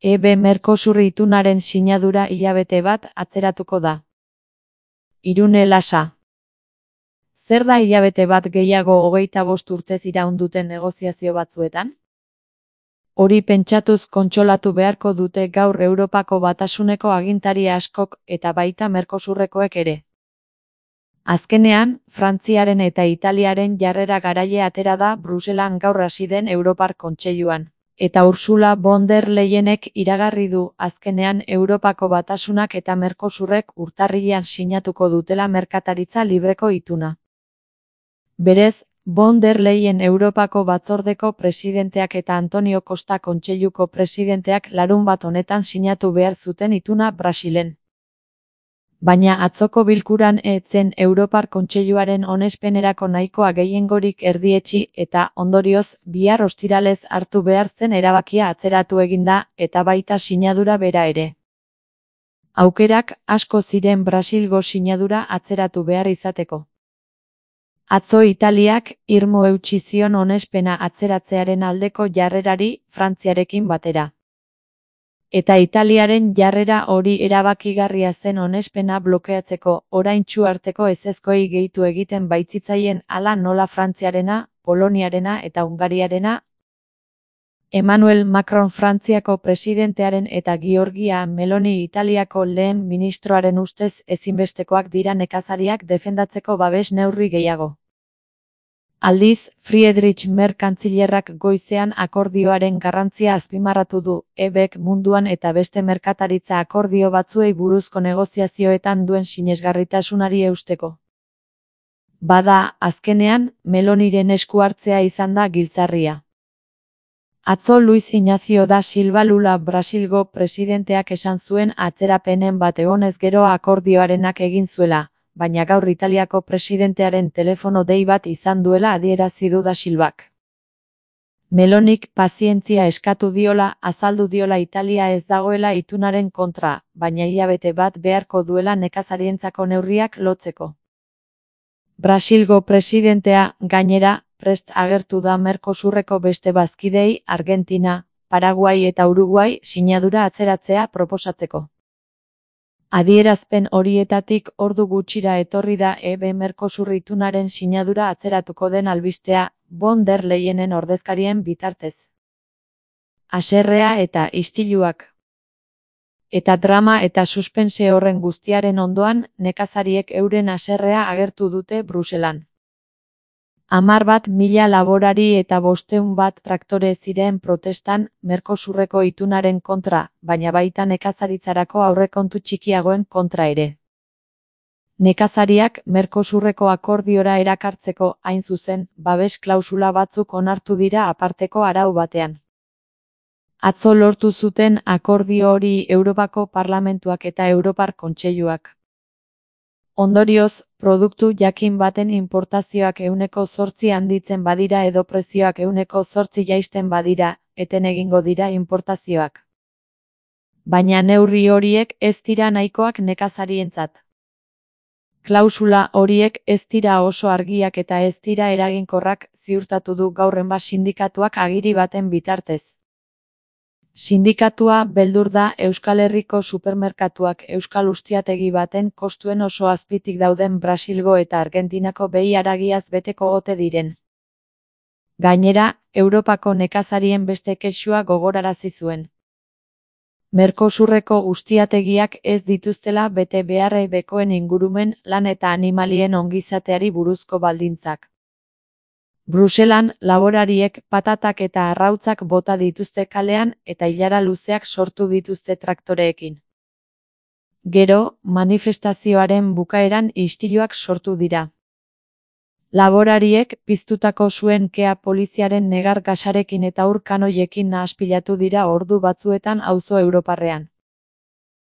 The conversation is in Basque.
Mercosur itunaren sinadura hilabete bat atzeratuko da. Irune Lasa. Zer da hilabete bat gehiago 25 urtez iraun duten negoziazio batzuetan? Hori pentsatuz kontsolatu beharko dute gaur Europako Batasuneko agintari askok eta baita Mercosurrekoek ere. Azkenean, Frantziaren eta Italiaren jarrera garaile atera da Bruselan gaur hasi den Europar Kontseiluan. Eta Ursula von der Leyenek iragarri du azkenean Europako Batasunak eta Mercosurrek urtarrilean sinatuko dutela merkataritza libreko ituna. Berez, von der Leyen Europako Batzordeko presidenteak eta Antonio Costa Kontseiluko presidenteak larunbat honetan sinatu behar zuten ituna Brasilen. Baina atzoko bilkuran ez zen Europar Kontseiluaren onespenerako nahikoa gehiengorik erdietsi eta, ondorioz, bihar ostiralez hartu behar zen erabakia atzeratu egin da eta baita sinadura bera ere. Aukerak asko ziren Brasilgo sinadura atzeratu behar izateko. Atzo Italiak irmo eutsi zion onespena atzeratzearen aldeko jarrerari Frantziarekin batera. Eta Italiaren jarrera hori erabakigarria zen onespena blokeatzeko, oraintsu arteko ezezkoei gehitu egiten baitzitzaien hala nola Frantziarena, Poloniarena eta Hungariarena. Emmanuel Macron Frantziako presidentearen eta Giorgia Meloni Italiako lehen ministroaren ustez ezinbestekoak dira nekazariak defendatzeko babes neurri gehiago. Aldiz, Friedrich Merz kantzilerrak goizean akordioaren garrantzia azpimarratu du, EBek munduan eta beste merkataritza akordio batzuei buruzko negoziazioetan duen sinesgarritasunari eusteko. Bada, azkenean, Meloniren esku hartzea izan da giltzarria. Atzo Luis Ignacio da Silva Lula Brasilgo presidenteak esan zuen atzerapenen bat egonez gero akordioarenak egin zuela, baina gaur Italiako presidentearen telefono dei bat izan duela adierazi du da Silvak. Melonik pazientzia eskatu diola, azaldu diola Italia ez dagoela itunaren kontra, baina hilabete bat beharko duela nekazarientzako neurriak lotzeko. Brasilgo presidentea, gainera, prest agertu da Mercosurreko beste bazkidei, Argentina, Paraguai eta Uruguai sinadura atzeratzea proposatzeko. Adierazpen horietatik ordu gutxira etorri da Mercosur itunaren sinadura atzeratuko den albistea, von der Leyenen ordezkarien bitartez. Haserrea eta istiluak. Eta drama eta suspense horren guztiaren ondoan, nekazariek euren haserrea agertu dute Bruselan. 11.000 laborari eta 500 traktore ziren protestan Mercosurreko itunaren kontra, baina baita nekazaritzarako aurrekontu txikiagoen kontra ere. Nekazariak Mercosurreko akordiora erakartzeko, hain zuzen, babes klausula batzuk onartu dira aparteko arau batean. Atzo lortu zuten akordio hori Europako Parlamentuak eta Europar Kontseiluak. Ondorioz, produktu jakin baten inportazioak 8% handitzen badira edo prezioak 8% jaisten badira, eten egingo dira inportazioak. Baina neurri horiek ez dira nahikoak nekazarientzat. Klausula horiek ez dira oso argiak eta ez dira eraginkorrak, ziurtatu du gaur Enbas sindikatuak agiri baten bitartez. Sindikatua beldur da Euskal Herriko supermerkatuak euskal ustiategi baten kostuen oso azpitik dauden Brasilgo eta Argentinako behi haragiaz beteko ote diren. Gainera, Europako nekazarien beste kexua gogorarazi zuen. Mercosurreko ustiategiak ez dituztela bete beharrei bekoen ingurumen, lan eta animalien ongizateari buruzko baldintzak. Bruselan, laborariek patatak eta arrautzak bota dituzte kalean eta ilara luzeak sortu dituzte traktoreekin. Gero, manifestazioaren bukaeran istiluak sortu dira. Laborariek piztutako suen kea poliziaren negar gasarekin eta ur kanoiekin nahaspilatu dira ordu batzuetan auzo europarrean.